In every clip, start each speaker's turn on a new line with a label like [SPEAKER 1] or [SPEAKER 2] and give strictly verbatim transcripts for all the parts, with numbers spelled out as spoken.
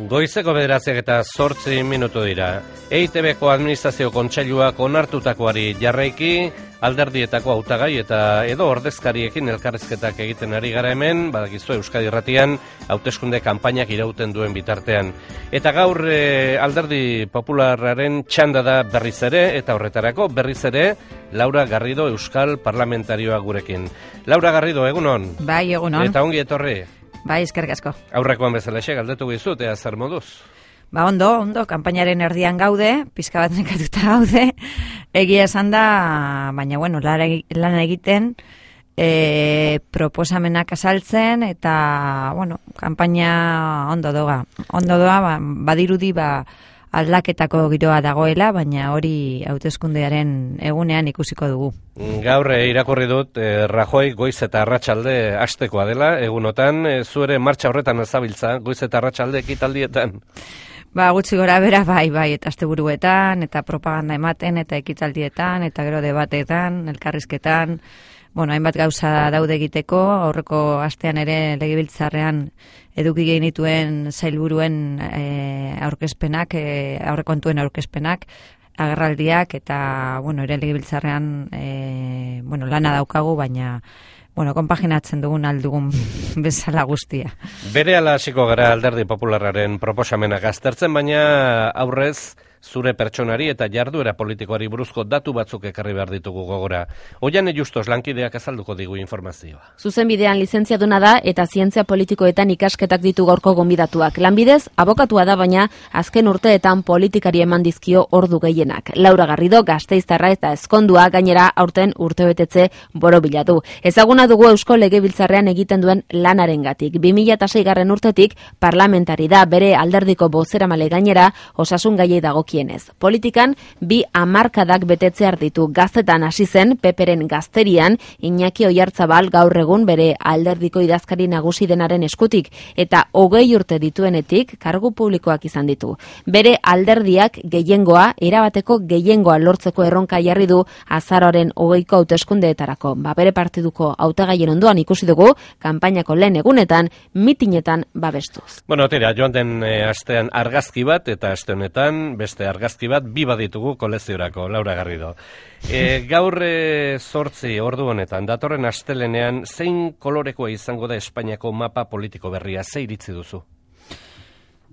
[SPEAKER 1] Goizeko bederatziak eta zortzi minutu dira. E I Te Beko Administrazio Kontseiluak onartutakoari jarraiki, alderdietako hautagai eta edo ordezkariekin elkarrizketak egiten ari gara hemen, badakizu Euskadi Irratian, hauteskunde kanpainak irauten duen bitartean. Eta gaur e, alderdi popularraren txanda da berriz ere, eta horretarako berriz ere, Laura Garrido Euskal Parlamentarioa gurekin. Laura Garrido, egunon?
[SPEAKER 2] Bai, egunon.
[SPEAKER 1] Eta ongi etorri?
[SPEAKER 2] Bai, eskerrik asko.
[SPEAKER 1] Aurrekoan bezalaxe, galdetu gizut, ea zer moduz?
[SPEAKER 2] Ba, ondo, ondo, kanpainaren erdian gaude, pizka bat nekatuta gaude, egia esan da, baina, bueno, lan egiten, e, proposamenak azaltzen, eta, bueno, kanpaina ondo doa. Ondo doa, ba, badirudi, ba, aldaketako giroa dagoela, baina hori hauteskundearen egunean ikusiko dugu.
[SPEAKER 1] Gaur irakurri dut, eh, Rajoy goiz eta arratsalde hastekoa dela, egunotan, eh, zu ere martxa horretan ezabiltza, goiz eta arratsalde ekitaldietan.
[SPEAKER 2] Ba, gutxi gora bera, bai, bai, eta asteburuetan, eta propaganda ematen, eta ekitaldietan, eta gero debatetan, elkarrizketan, bueno, hainbat gauza daude egiteko, aurreko astean ere legebiltzarrean eduki genituen sailburuen e, aurkezpenak, e, aurrekontuen aurkezpenak, agerraldiak, eta, bueno, ere legebiltzarrean, e, bueno, lana daukagu, baina, bueno, konpaginatzen dugun aldugun bezala guztia.
[SPEAKER 1] Bere ala hasiko gara alderdi popularraren proposamenak aztertzen, baina aurrez, zure pertsonari eta jarduera politikoari buruzko datu batzuk ekarri behar ditugu gogora. Oiane Justos lankideak azalduko digu informazioa.
[SPEAKER 3] Zuzenbidean lizentziaduna da eta zientzia politikoetan ikasketak ditu gaurko gonbidatuak. Lanbidez, abokatua da, baina azken urteetan politikari eman dizkio ordu gehienak. Laura Garrido Gasteiztarra eta ezkondua gainera aurten urtebetetze borobilatu. Ezaguna dugu Eusko Legebiltzarrean egiten duen lanarengatik. bi mila seigarren urtetik parlamentari da, bere alderdiko bozeramale gainera osasun gaiei dago kienez. Politikan bi hamarkadak betetzear ditu. Gaztetan hasi zen Peperen gazterian Iñaki Oiartzabal gaur egun bere alderdiko idazkari nagusi denaren eskutik eta hogei urte dituenetik kargu publikoak izan ditu. Bere alderdiak gehiengoa, erabateko gehiengoa lortzeko erronka jarri du azaroaren hogeiko hauteskundeetarako. Ba, bere partiduko hautagaien ondoan ikusi dugu kanpainako lehen egunetan mitinetan babestuz.
[SPEAKER 1] Bueno, tira, joan den e, astean argazki bat eta aste honetan beste argazki bat bi baditugu koleziorako, Laura Garrido. E, gaur zortzi ordu honetan, datorren astelenean, zein kolorekoa izango da Espainiako mapa politiko berria, ze iritzi duzu?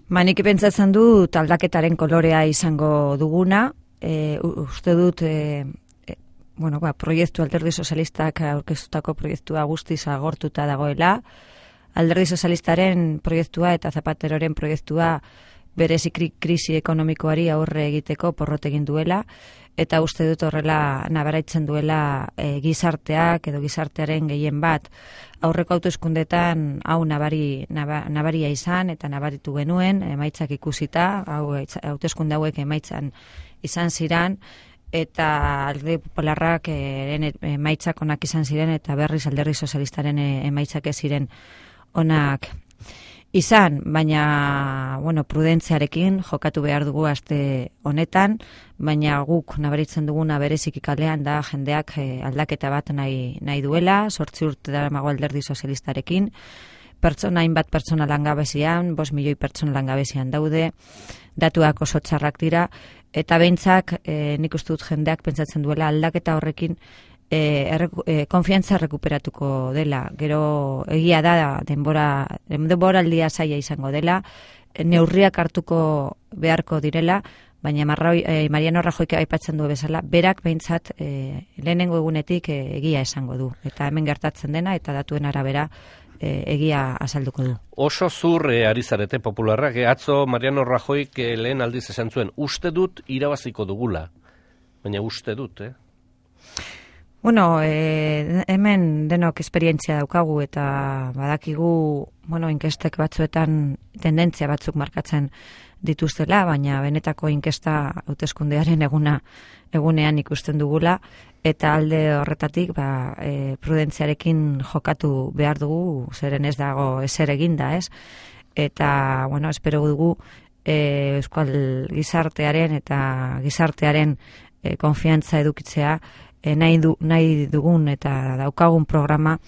[SPEAKER 2] Ba, nik pentsatzen dut aldaketaren kolorea izango duguna, e, uste dut, e, e, bueno, ba, proiektu alderdi sozialistak aurkeztutako proiektua guztiz agortuta dagoela, alderdi sozialistaren proiektua eta Zapateroren proiektua berezi krisi ekonomikoari aurre egiteko porrot egin duela, eta uste dut horrela nabaraitzen duela e, gizarteak edo gizartearen gehien bat. Aurreko hauteskundetan hau nabari, nabaria izan eta nabaritu genuen, emaitzak ikusita, hau hauteskunde hauek emaitzan izan ziran, eta alderdi popularrak e, emaitzak onak izan ziren, eta berriz alderdi sozialistaren emaitzak ez ziren onak izan, baina, bueno, prudentziarekin jokatu behar dugu aste honetan, baina guk nabaritzen duguna bereziki kalean da jendeak eh, aldaketa bat nahi, nahi duela, sortzi urte daramago alderdi sozialistarekin, pertsona hainbat pertsona langabezian, bost milioi pertsona langabezian daude, datuak oso txarrak dira, eta behintzak eh, nik uste dut jendeak pentsatzen duela aldaketa horrekin E, erreku, e, konfiantza rekuperatuko dela. Gero egia da denbora denbora aldia zaila izango dela, neurriak hartuko beharko direla, baina Marroi, e, Mariano Rajoy aipatzen du bezala, berak behintzat e, lehenengo egunetik e, egia esango du, eta hemen gertatzen dena eta datuen arabera e, egia azalduko du.
[SPEAKER 1] Oso zur e, ari zarete popularrak, e, atzo Mariano Rajoy e, lehen aldiz esan zuen, uste dut irabaziko dugula, baina uste dut, eh?
[SPEAKER 2] Bueno, eh, hemen denok esperientzia daukagu eta badakigu, bueno, inkestek batzuetan tendentzia batzuk markatzen dituztela, baina benetako inkesta hauteskundearen eguna egunean ikusten dugula, eta alde horretatik ba, e, prudentziarekin jokatu behar dugu, zeren ez dago ezer eginda, ez? Eta, bueno, espero dugu e, euskal gizartearen eta gizartearen e, konfiantza edukitzea, nahi, du, nahi dugun eta daukagun programa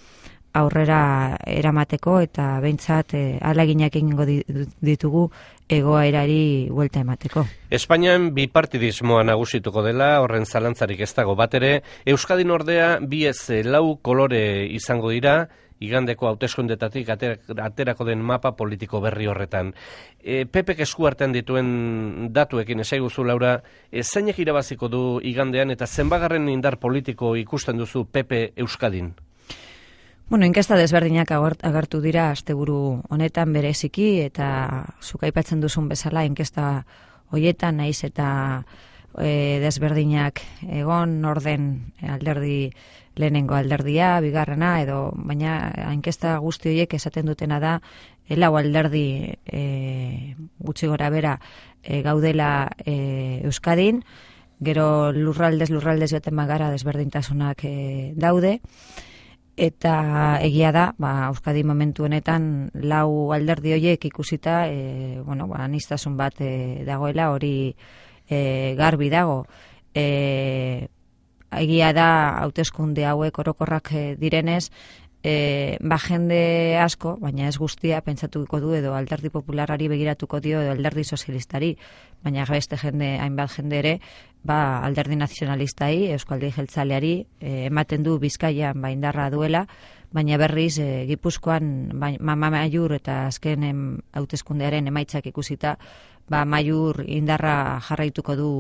[SPEAKER 2] aurrera eramateko eta behintzat e, ahaleginak egingo ditugu egoerari buelta emateko.
[SPEAKER 1] Espainian bipartidismoa nagusituko dela, horren zalantzarik ez dago bat ere. Euskadin ordea bi ez lau kolore izango dira, igandeko hauteskundetatik aterako den mapa politiko berri horretan. E, P Pek esku artean dituen datuekin esaiguzu, Laura, e, zeinek irabaziko du igandean eta zenbagarren indar politiko ikusten duzu P P Euskadin?
[SPEAKER 2] Bueno, inkesta desberdinak agertu dira asteburu honetan bereziki, eta zuk aipatzen duzun bezala inkesta hoietan naiz eta e, desberdinak egon orden alderdi lehenengo alderdia, bigarrena, edo baina inkesta guzti horiek esaten dutena da lau alderdi e, gutxi gora bera e, gaudela e, Euskadin, gero lurraldez lurraldez joaten bagara desberdintasunak e, daude. Eta egia da, ba, Euskadi momentu honetan lau alderdi horiek ikusita, e, bueno, ba, aniztasun bat e, dagoela, hori e, garbi dago. E, egia da, hauteskunde hauek orokorrak e, direnez, e, ba, jende asko, baina ez guztia, pentsatuko du edo alderdi popularari begiratuko dio edo alderdi sozialistari, baina beste jende, hainbat jende ere, ba, alderdi nazionalistai, Euskaldi Jeltzaleari, e, ematen du Bizkaian ba, indarra duela, baina berriz e, Gipuzkoan ba, mama maiur eta azken hauteskundearen emaitzak ikusita, ba, maiur indarra jarraituko du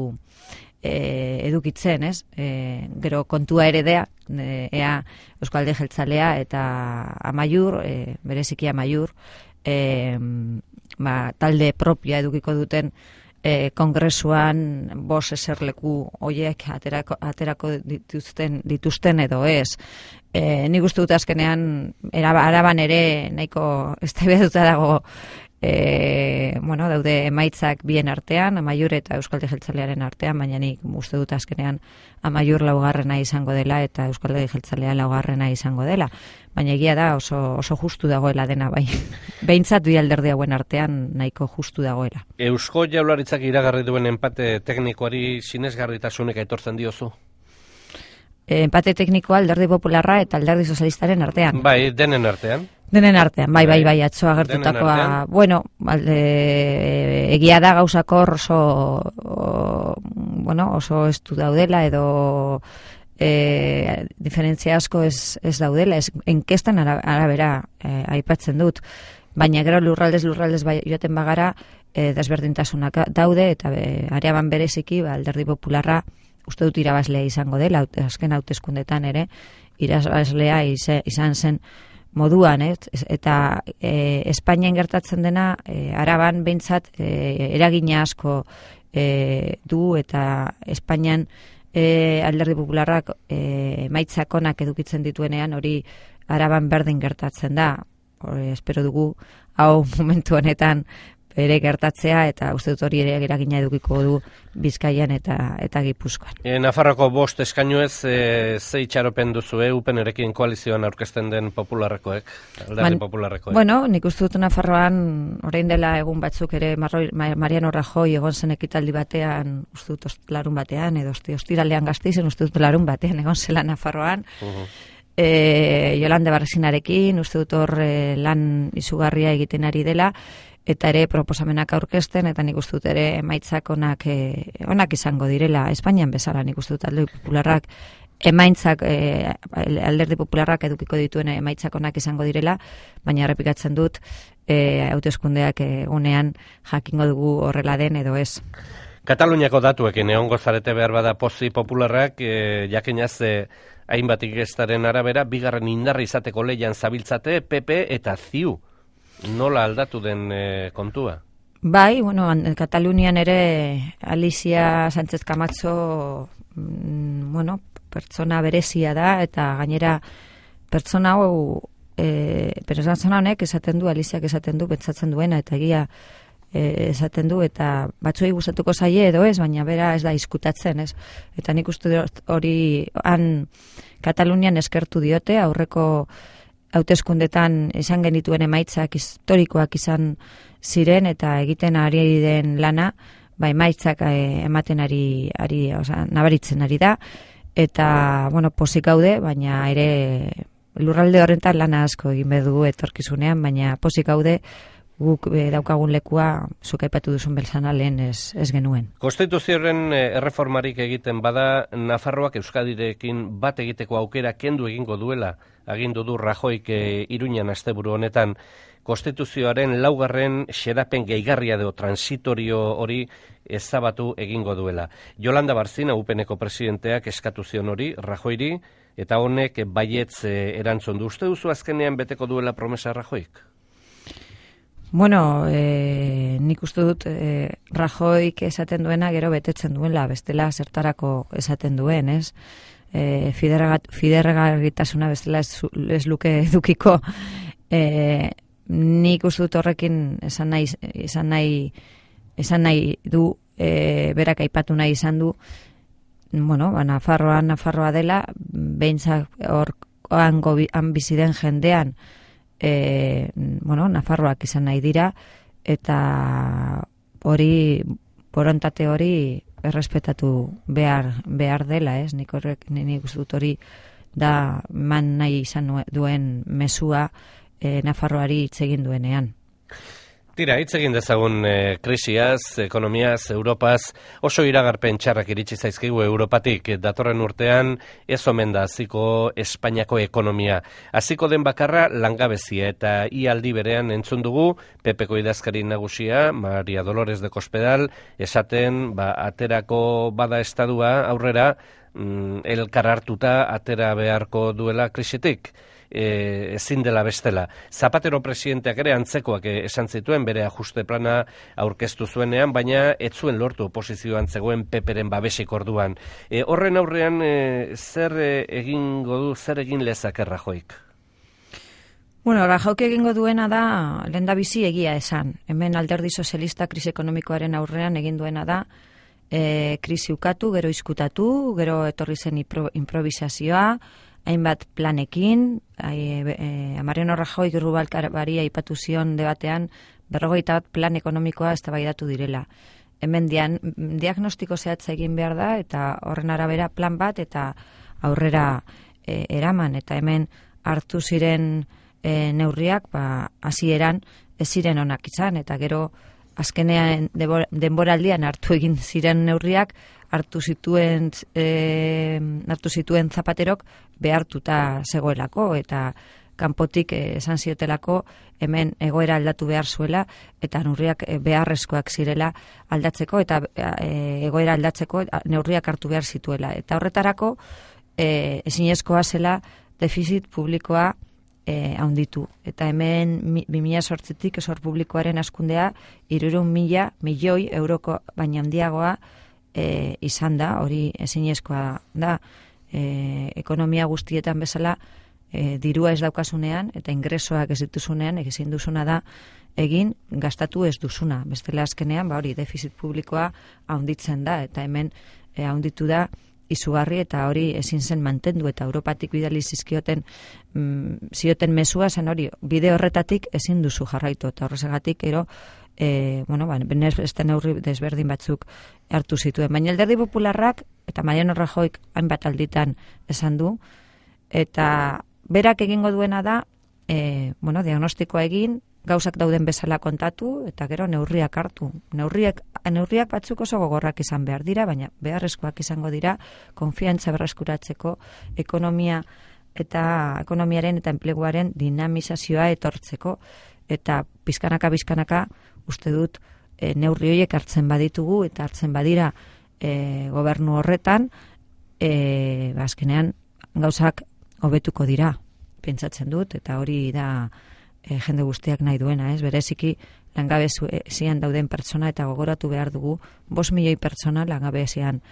[SPEAKER 2] e, edukitzen, ez? E, gero kontua ere dea, e, ea Euskaldi Jeltzalea eta amaiur, e, bereziki amaiur, e, ba, talde propia edukiko duten E, kongresuan bos eserleku hoiek aterako, aterako dituzten, dituzten edo ez. E, nik uste dut azkenean Araban ere nahiko eztabaidatua dago e, bueno, daude emaitzak bien artean, Amaiur eta Euskaldi Jeltzalearen artean, baina nik uste dut azkenean Amaiur laugarrena izango dela eta Euskaldi Jeltzalea laugarrena izango dela. Baina egia da oso, oso justu dagoela dena, bai. Behintzat bi alderdi hauen artean nahiko justu dagoela.
[SPEAKER 1] Eusko Jaurlaritzak iragarri duen enpate teknikoari sinesgarritasunek aitortzen diozu?
[SPEAKER 2] E, empate teknikoa alderdi popularra eta alderdi sozialistaren artean.
[SPEAKER 1] Bai, denen artean.
[SPEAKER 2] Denen artean, bai, bai, bai, atzo agertutakoa. Bueno, alde, egia da gauzakor oso, o, bueno, oso estu daudela edo e, diferentzia asko ez, ez daudela, ez enkestan arabera e, aipatzen dut, baina gero lurraldez lurraldez bai, joaten bagara e, desberdintasunak daude eta be, areaban bereziki ba, alderdi popularra uste dut irabazlea izango dela, azken hauteskundetan ere irabazlea izan zen moduan, ez? Eta e, Espainian gertatzen dena e, Araban behintzat e, eragina asko e, du eta Espainian e, alderdi popularrak e, maitzakonak edukitzen dituenean hori Araban berdin gertatzen da. Hori, espero dugu hau momentu honetan ere gertatzea eta uste dut hori ere eragina edukiko du Bizkaian eta eta Gipuzkoan.
[SPEAKER 1] E, Nafarroko bost eskainu ez e, ze itxaropen duzu, e, upenerekin koalizioan aurkezten den popularrekoek, alderdi popularrekoek?
[SPEAKER 2] Bueno, nik uste dut Nafarroan orain dela egun batzuk ere Marroi, Mariano Rajoy egon zen ekitaldi batean, uste dut larun batean, edo ostiralean Gasteizen, uste dut larun batean egon zela Nafarroan, uh-huh. e, Jolande Barresinarekin, uste dut hor e, lan izugarria egiten ari dela, eta ere proposamenak aurkezten, eta nik uste dut ere emaitzak onak, e, onak izango direla, Espainian bezala nik uste dut alderdi popularrak, emaitzak, e, alderdi popularrak edukiko dituen emaitzak onak izango direla, baina errepikatzen dut, e, hauteskundeak egunean jakingo dugu horrela den edo ez.
[SPEAKER 1] Kataluniako datuekin egongo zarete behar bada pozi popularrak, e, jakinaz e, hainbat inkestaren arabera, bigarren indarra izateko leian zabiltzate P P eta C I U. Nola aldatu den e, kontua?
[SPEAKER 2] Bai, bueno, Katalunian ere Alicia Sánchez Camacho mm, bueno, pertsona berezia da eta gainera pertsona hau e, pertsona honek esaten du, Aliziak esaten du, pentsatzen duena eta egia e, esaten du eta batzuei gustatuko zaie edo ez, baina bera ez da diskutatzen, ez? Eta nik uste hori han Katalunian eskertu diote, aurreko hauteskundetan izan genituen emaitzak historikoak izan ziren eta egiten ari den lana, ba emaitzak eh, ematen ari, ari osea, nabaritzen ari da, eta, bueno, pozik gaude, baina ere lurralde horretan lana asko egin bedu etorkizunean, baina pozik gaude guk e, daukagun lekua zuk aipatu duzun belzana lehen ez, ez genuen.
[SPEAKER 1] Konstituzioaren erreformarik egiten bada, Nafarroak Euskadirekin bat egiteko aukera kendu egingo duela, agindu du Rajoyk e, Iruñan asteburu honetan. Konstituzioaren laugarren xedapen gehigarria edo transitorio hori ezabatu egingo duela. Yolanda Barzina, U P N-ko presidenteak eskatu zion hori Rajoyri, eta honek baietz e, erantzun du. Uste duzu azkenean beteko duela promesa Rajoyk?
[SPEAKER 2] Bueno, e, nik uste dut e, Rajoyk esaten duena gero betetzen duela, bestela zertarako esaten duen, ez? E, Fidergarritasuna bestela ez, ez luke edukiko. E, nik uste dut horrekin esan nahi, esan nahi, esan nahi du, e, berak aipatu nahi izan du, bueno, ba, Nafarroa, Nafarroa dela, behintzak hor han bizi den jendean, E, bueno, Nafarroak izan nahi dira, eta hori, borontate hori errespetatu behar, behar dela, ez? Nik horrek, nik uste dut hori da man nahi izan duen mezua e, Nafarroari hitz egin duenean.
[SPEAKER 1] Tira, hitz egin dezagun e, krisiaz, ekonomiaz, Europaz, oso iragarpen txarrak iritsi zaizkigu Europatik, datorren urtean ez omen da hasiko Espainiako ekonomia. Hasiko den bakarra langabezia, eta ia aldi berean entzun dugu P P-ko idazkari nagusia, Maria Dolores de Cospedal, esaten ba, aterako bada estadua aurrera, mm, elkar hartuta atera beharko duela krisitik. E, ezin dela bestela. Zapatero presidenteak ere antzekoak esan zituen bere ajuste plana aurkeztu zuenean, baina ez zuen lortu oposizioan zegoen Peperen babesik orduan. E, horren aurrean e, zer e, egingo du, zer egin lezake Rajoyk?
[SPEAKER 2] Bueno, Rajoyk egingo duena da lehendabizi egia esan. Hemen Alderdi Sozialista krisi ekonomikoaren aurrean egin duena da e, krisi ukatu, gero izkutatu, gero etorri zen improvisazioa, hainbat planekin, e, e, Mariano Rajoy Rubalcabari aipatu zion debatean berrogeita bat plan ekonomikoa eztabaidatu direla. Hemen dian, diagnostiko zehatza egin behar da, eta horren arabera plan bat eta aurrera e, eraman, eta hemen hartu ziren e, neurriak, ba, hasieran ez ziren onak izan, eta gero azkenean denboraldian hartu egin ziren neurriak, hartu zituen e, hartu zituen Zapaterok behartuta zegoelako, eta kanpotik esan ziotelako hemen egoera aldatu behar zuela, eta neurriak beharrezkoak zirela aldatzeko, eta e, egoera aldatzeko neurriak hartu behar zituela. Eta horretarako e, ezinezkoa zela defizit publikoa e, haunditu. Eta hemen bi mila zortzitik esor publikoaren hazkundea hirurehun mila milioi euroko baina handiagoa E, izan da, hori ezinezkoa da, e, ekonomia guztietan bezala e, dirua ez daukasunean eta ingresoak ez dituzunean, ezin duzuna da egin gastatu ez duzuna. Bestela azkenean, ba hori defizit publikoa haunditzen da, eta hemen e, haunditu da izugarri, eta hori ezin zen mantendu, eta Europatik bidali zizkioten mm, zioten mezua zen hori, bide horretatik ezin duzu jarraitu, eta horrezagatik ero E, bueno, ba, beste neurri desberdin batzuk hartu zituen. Baina Alderdi Popularrak eta Mariano Rajoyk hainbat alditan esan du, eta berak egingo duena da, e, bueno, diagnostikoa egin, gauzak dauden bezala kontatu, eta gero neurriak hartu. Neurriak, neurriak batzuk oso gogorrak izan behar dira, baina beharrezkoak izango dira, konfiantza berreskuratzeko, ekonomia eta ekonomiaren eta enpleguaren dinamizazioa etortzeko, eta pizkanaka bizkanaka uste dut e, neurri horiek hartzen baditugu eta hartzen badira e, gobernu horretan, e, azkenean gauzak hobetuko dira, pentsatzen dut, eta hori da e, jende guztiak nahi duena, ez? Bereziki langabezian dauden pertsona, eta gogoratu behar dugu bost milioi pertsona langabezian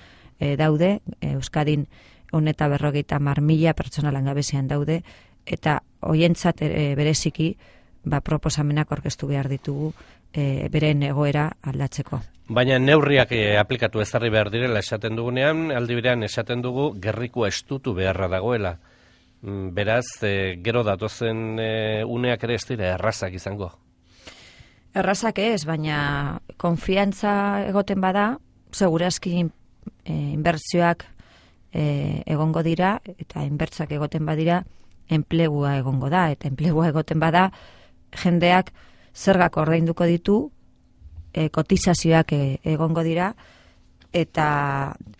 [SPEAKER 2] e, daude, e, Euskadin ehun eta berrogeita hamar mila pertsona langabezian daude, eta hoientzat e, bereziki ba, proposamenak aurkeztu behar ditugu e, beren egoera aldatzeko.
[SPEAKER 1] Baina neurriak e, aplikatu ezarri behar direla esaten dugunean, aldi berean esaten dugu gerrikoa estutu beharra dagoela. Beraz, e, gero datozen e, uneak ere ez dira errazak izango.
[SPEAKER 2] Errazak ez, baina konfiantza egoten bada, segurazki e, inbertsioak e, egongo dira, eta inbertsak egoten badira, enplegua egongo da, eta enplegua egoten bada, jendeak zergak ordainduko ditu, e, kotizazioak e, egongo dira, eta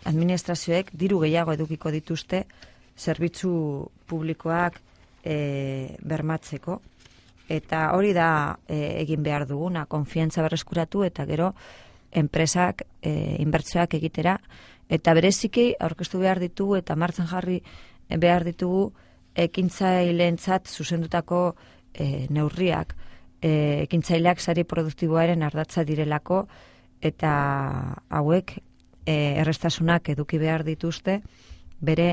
[SPEAKER 2] administrazioek diru gehiago edukiko dituzte zerbitzu publikoak e, bermatzeko. Eta hori da e, egin behar duguna, konfiantza berreskuratu eta gero enpresak e, inbertsioak egitera. Eta bereziki aurkeztu behar ditugu eta martxan jarri behar ditugu ekintzaileentzat zuzendutako e, neurriak. E, ekintzaileak sari produktiboaren ardatza direlako eta hauek e, errestasunak eduki behar dituzte bere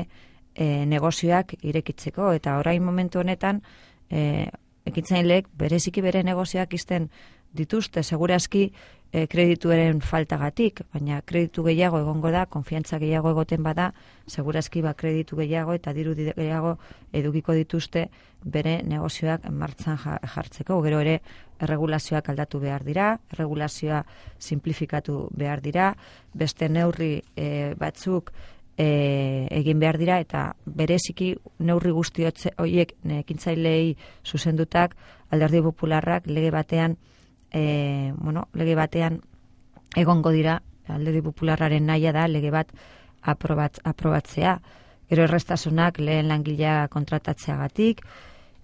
[SPEAKER 2] e, negozioak irekitzeko. Eta orain momentu honetan e, ekintzaileek bereziki bere negozioak izten dituzte, segurazki e, kredituaren faltagatik, baina kreditu gehiago egongo da, konfiantza gehiago egoten bada, segurazki ba kreditu gehiago eta diru gehiago edukiko dituzte bere negozioak martxan jartzeko. Gero ere erregulazioak aldatu behar dira, erregulazioa simplifikatu behar dira, beste neurri e, batzuk E, egin behar dira eta bereziki neurri guzti horiek ekintzaileei zuzendutak Alderdi Popularrak lege batean e, bueno, lege batean egongo dira. Alderdi Popularraren nahia da lege bat aprobat, aprobatzea. Gero errestasunak lehen langilea kontratatzeagatik,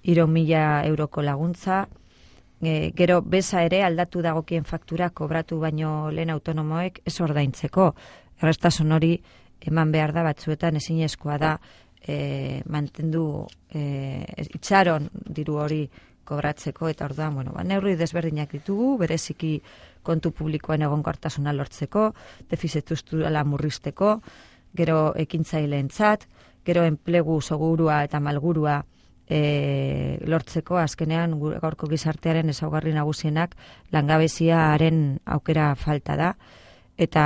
[SPEAKER 2] hiru mila euroko laguntza, e, gero beza ere aldatu dagokien faktura kobratu baino lehen autonomoek ez ordaintzeko. Errestasun hori eman behar da batzuetan ezinezkoa da e, mantendu e, itxaron diru hori kobratzeko eta orduan, bueno, ba, neurri desberdinak ditugu, bereziki kontu publikoen egonkortasuna lortzeko, defizit estrukturala murrizteko, gero ekintzaileentzat, gero enplegu segurua eta malgurua e, lortzeko, azkenean gaurko gizartearen ezaugarri nagusienak langabeziaren aukera falta da, eta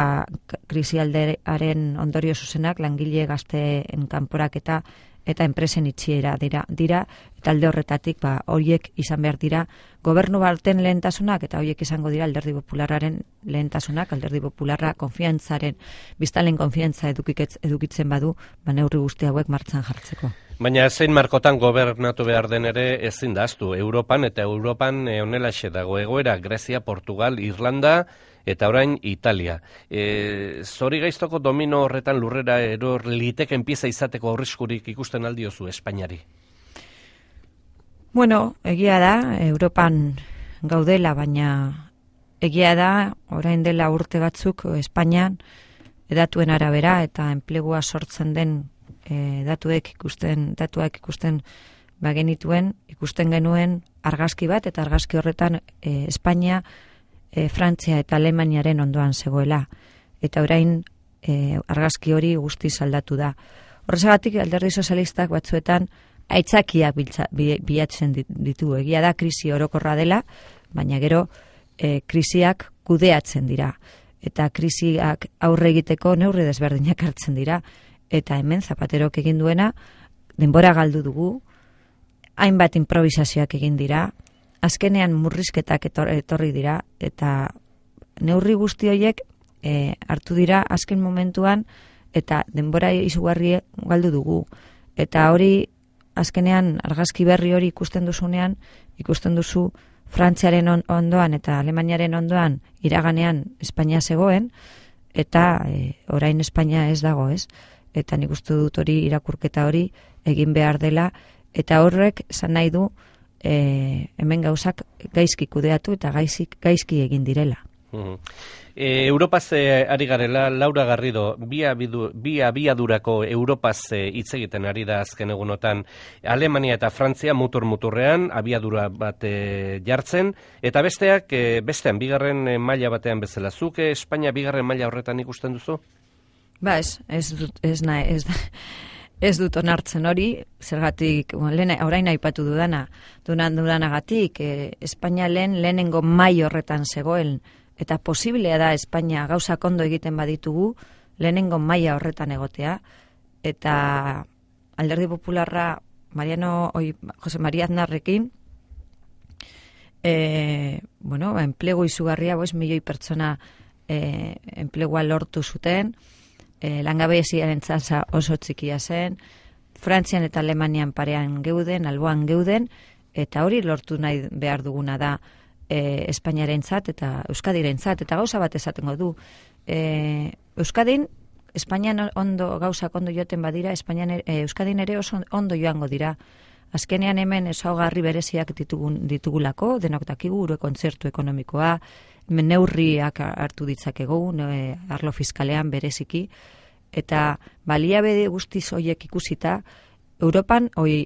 [SPEAKER 2] krisialdearen ondorio zuzenak langile gazteen kanporaketa eta enpresen itxiera dira, dira eta alde horretatik ba, horiek izan behar dira gobernu baten lehentasunak eta horiek izango dira Alderdi Popularraren lehentasunak. Alderdi Popularra konfiantzaren, biztalen konfiantza edukitzen badu, ba, neurri guzti hauek martxan jartzeko.
[SPEAKER 1] Baina zein markotan gobernatu behar den ere ezin da ahaztu. Europan eta Europan honelaxe dago egoera, Grezia, Portugal, Irlanda eta orain Italia. E, zori gaiztoko domino horretan lurrera eror liteken pieza izateko arriskurik ikusten aldiozu Espainiari?
[SPEAKER 2] Bueno, egia da, Europan gaudela, baina egia da, orain dela urte batzuk Espainian datuen arabera eta enplegua sortzen den e, datuek ikusten, datuak ikusten bagenituen, ikusten genuen argazki bat eta argazki horretan e, Espainia E, Frantzia eta Alemaniaren ondoan zegoela. Eta orain e, argazki hori guztiz aldatu da. Horrezagatik Alderdi Sozialistak batzuetan aitzakiak biltza, bi, bilatzen ditu. Egia da krisi orokorra dela, baina gero e, krisiak kudeatzen dira. Eta krisiak aurre egiteko neurri desberdinak hartzen dira. Eta hemen Zapaterok egin duena, denbora galdu dugu, hainbat improvisazioak egin dira, azkenean murrizketak etorri dira eta neurri guzti horiek e, hartu dira azken momentuan eta denbora izugarri galdu dugu. Eta hori azkenean argazki berri hori ikusten duzunean, ikusten duzu Frantziaren ondoan eta Alemaniaren ondoan iraganean Espainia zegoen eta e, orain Espainia ez dago, ez? Eta nik uste dut hori irakurketa hori egin behar dela eta horrek esan nahi du E, hemen gauzak gaizki kudeatu eta gaizki, gaizki egin direla.
[SPEAKER 1] Uh-huh. E, Europaz e, ari garela, Laura Garrido, bi, abidu, bi abiadurako Europaz hitz e, egiten ari da azken egunotan. Alemania eta Frantzia mutur-muturrean abiadura bat e, jartzen, eta besteak, e, bestean, bigarren e, maila batean bezala. Zuke Espainia bigarren maila horretan ikusten duzu?
[SPEAKER 2] Ba ez, ez dut, ez nahi, ez da... Ez dut onartzen hori, zergatik, bueno, orain aipatu dudana, dunan dudanagatik, e, Espainia lehen lehenengo mai horretan zegoen, eta posiblea da Espainia gauza ondo egiten baditugu, lehenengo maila horretan egotea, eta Alderdi Popularra, Mariano, oi, Jose Maria Aznarrekin, e, bueno, ba, enplegu izugarria, boz, milioi pertsona e, enplegua lortu zuten, E, langabeziaren tasa oso txikia zen, Frantzian eta Alemanian parean geuden, alboan geuden, eta hori lortu nahi behar duguna da e, Espainiarentzat eta Euskadirentzat, eta gauza bat esatengo du. E, Euskadin, Espainian ondo gauzak ondo joaten badira, Espainian, e, Euskadin ere oso ondo joango dira. Azkenean hemen ezaugarri bereziak ditugun, ditugulako, denok dakigu, gure kontzertu ekonomikoa, neurriak hartu ditzakegu, ne, arlo fiskalean bereziki, eta baliabide guztiz horiek ikusita, Europan, oi,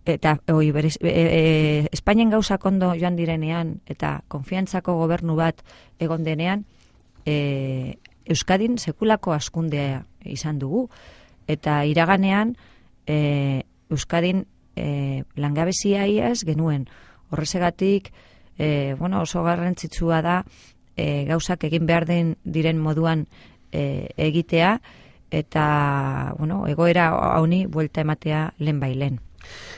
[SPEAKER 2] eta oi, berez, e, e, Espainian gauzak ondo joan direnean, eta konfiantzako gobernu bat egon denean, e, Euskadin sekulako askundea izan dugu, eta iraganean e, Euskadin e, langabezia iaz genuen. Horrezegatik, e, bueno, oso garrantzitsua da e, gauzak egin behar den diren moduan e, egitea, eta bueno, egoera hauni buelta ematea lehen bailen.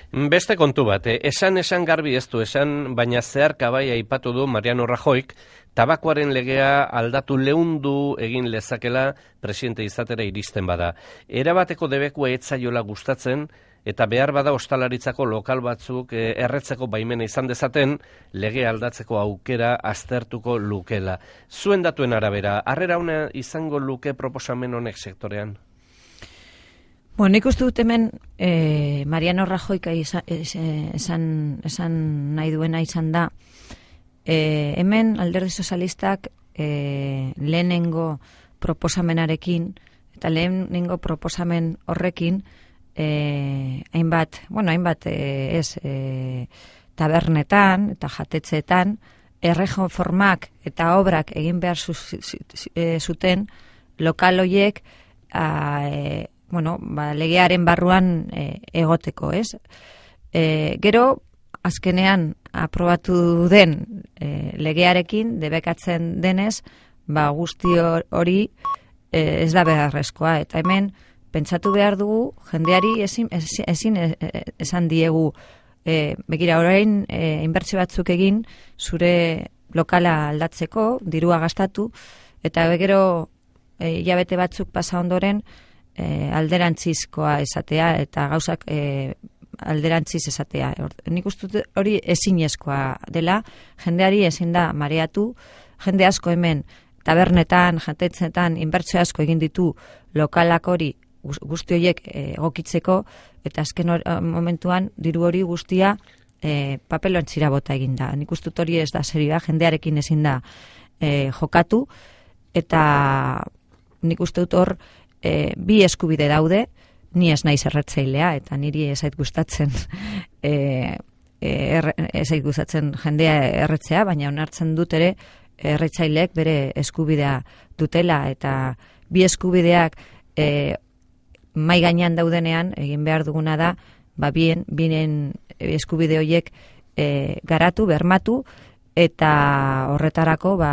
[SPEAKER 1] Beste kontu bat, eh? esan esan garbi ez du esan, baina zeharka bai aipatu du Mariano Rajoyk, tabakoaren legea aldatu leundu egin lezakela presidente izatera iristen bada. Erabateko debekua etzaiola gustatzen, eta behar bada ostalaritzako lokal batzuk eh, erretzeko baimena izan dezaten, lege aldatzeko aukera aztertuko lukela. Zuen datuen arabera, harrera ona izango luke proposamen honek sektorean?
[SPEAKER 2] Bueno, nik uste dut hemen eh, Mariano Rajoyka esan, esan, esan nahi duena izan da, eh, hemen Alderdi Sozialistak eh, lehenengo proposamenarekin, eta lehenengo proposamen horrekin, eh, hainbat, bueno, hainbat eh, ez, eh, tabernetan eta jatetzeetan, erreformak eta obrak egin behar zu, zu, eh, zuten lokal hoiek eh, bueno, ba, legearen barruan e, egoteko, ez? E, gero, azkenean aprobatu den e, legearekin, debekatzen denez, ba, guzti hori e, ez da beharrezkoa. Eta hemen, pentsatu behar dugu, jendeari ezin, ezin esan diegu, e, begira, orain, e, inbertsio batzuk egin, zure lokala aldatzeko, dirua gastatu, eta gero, e, hilabete batzuk pasa ondoren, E, alderantzizkoa esatea eta gauzak e, alderantziz esatea. Nik uste hori ezinezkoa dela, jendeari ezin da mareatu, jende asko hemen tabernetan, jatetzetan, inbertsio asko egin ditu lokalak hori guzti horiek egokitzeko, eta azken or, momentuan diru hori guztia e, papeloantzira bota egin da. Nik uste hori ez da serioa, jendearekin ezin da e, jokatu, eta nik uste dut hor E, bi eskubide daude, ni ez naiz erretzailea, eta niri ez zait gustatzen e, e, ez zait gustatzen jendea erretzea, baina onartzen dut ere erretzaileek bere eskubidea dutela, eta bi eskubideak e, mai gainean daudenean egin behar duguna da, ba bien, binen eskubide horiek e, garatu, bermatu, eta horretarako ba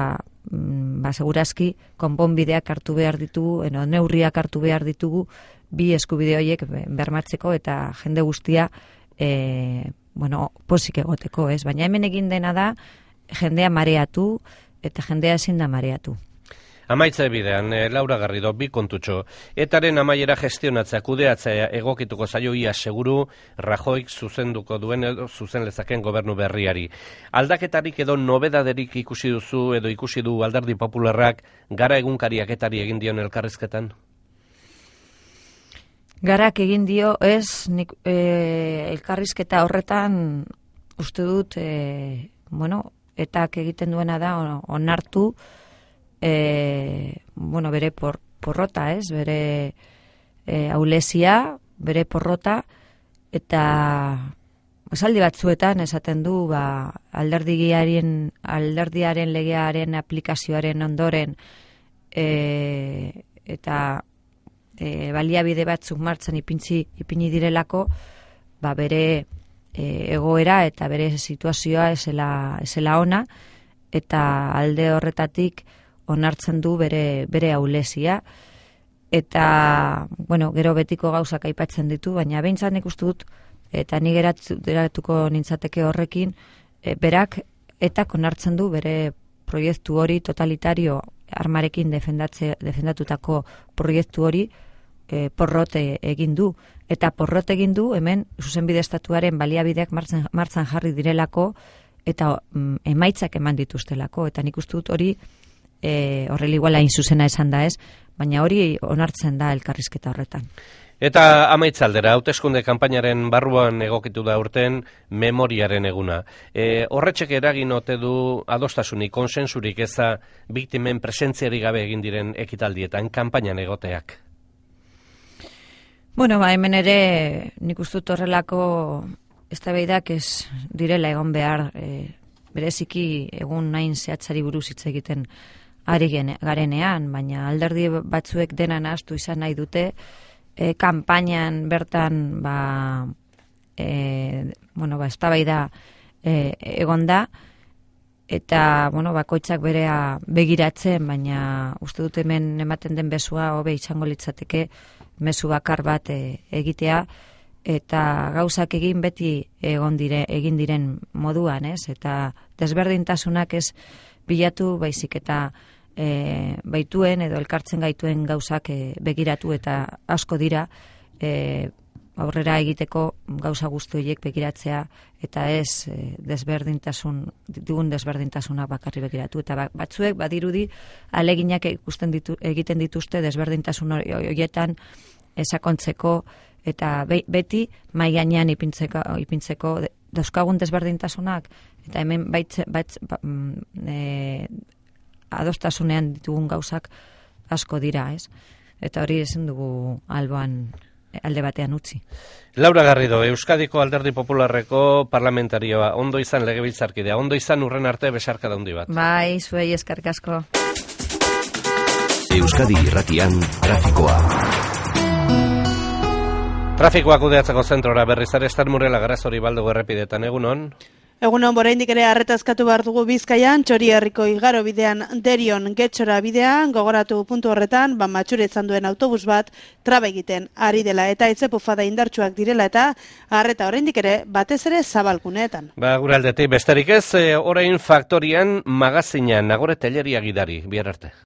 [SPEAKER 2] ba, segurazki, konponbideak hartu behar ditugu, eno, neurriak hartu behar ditugu, bi eskubide horiek bermatzeko, eta jende guztia, e, bueno, posik egoteko, ez? Baina hemen egin dena da, jendea mareatu, eta jendea ezin da mareatu.
[SPEAKER 1] Amaitza bidean, eh, Laura Garrido, bi kontutxo. Etaren amaiera gestionatzea, kudeatzea egokituko zaio ia seguru Rajoyk zuzenduko duen edo zuzen lezaken gobernu berriari. Aldaketarik edo nobedaderik ikusi duzu edo ikusi du Alderdi Popularrak Gara egunkariak etari egin dion elkarrizketan?
[SPEAKER 2] Garak egin dio, ez, nik, e, elkarrizketa horretan uste dut, e, bueno, etak egiten duena da onartu, E, bueno, bere por, porrota, ez, bere e, aulesia, bere porrota, eta esaldi batzuetan esaten du, ba, alderdiaren, alderdiaren legearen aplikazioaren ondoren, e, eta e, baliabide batzuk martzan ipintzi, ipini direlako, ba, bere e, egoera eta bere situazioa esela, esela ona, eta alde horretatik onartzen du bere bere aulesia, eta bueno, gero betiko gauzak aipatzen ditu, baina behintzat nik uste dut, eta ni geratuko nintzateke horrekin, e, berak etak onartzen du bere proiektu hori totalitario armarekin defendatze, defendatutako proiektu hori e, porrote egin du. Eta porrot egin du hemen zuzenbide estatuaren baliabideak martzan, martzan jarri direlako eta mm, emaitzak eman dituztelako. Eta nik uste dut hori e, horrela iguala inzuzena esan da ez, baina hori onartzen da elkarrizketa horretan.
[SPEAKER 1] Eta amaitzaldera, hauteskunde kanpainaren barruan egokitu da urten memoriaren eguna. E, horretxek eragin ote du adostasunik, konsensurik eza biktimen presentziari gabe egin diren ekitaldietan, kanpainan egoteak?
[SPEAKER 2] Bueno, ba, hemen ere nik uste dut horrelako eztabaidak ez direla egon behar, e, bereziki egun nahin zehatzari buruz hitz egiten ari garenean, baina alderdi batzuek dena nahastu izan nahi dute, E, kanpainan bertan ba, e, bueno, ba, eztabaida e, egon da eta bueno, bakoitzak berea begiratzen, baina uste dut hemen ematen den bezua hobe izango litzateke mezu bakar bat e, egitea eta gauzak egin beti egon dire, egin diren moduan, ez? Eta desberdintasunak ez bilatu baizik eta E, baituen edo elkartzen gaituen gauzak e, begiratu eta asko dira e, aurrera egiteko gauza guzti horiek begiratzea eta ez e, desberdintasun dugun desberdintasuna bakarri begiratu eta batzuek badirudi aleginak ikusten ditu, egiten dituzte desberdintasun horietan esakontzeko eta be, beti mahai gainean ipintzeko, ipintzeko dauzkagun desberdintasunak eta hemen baitze, baitz, ba, e, adostasunean ditugun gauzak asko dira, ez? Eta hori ezin dugu alboan alde batean utzi.
[SPEAKER 1] Laura Garrido, Euskadiko Alderdi Popularreko parlamentarioa, ondo izan legebiltzarkidea, ondo izan urren arte besarka handi bat.
[SPEAKER 2] Bai, zuei eskerrik asko.
[SPEAKER 4] Euskadi Irratian trafikoa.
[SPEAKER 1] Trafikoa kudeatzeko zentrora berriz ere Estarmurela Garazori Baldugu errepidetan, egunon?
[SPEAKER 5] Egunon, oraindik ere arretazkatu behar dugu Bizkaian, Txorierriko igaro bidean Derion Getxora bidean, gogoratu puntu horretan, ba matxure izan duen autobus bat traba egiten ari dela eta etzepufada indartsuak direla eta arreta oraindik ere batez ere zabalguneetan.
[SPEAKER 1] Ba, gure aldetik besterik ez, orain faktorian magazinan, Nagore Telleria gidari, bihar arte.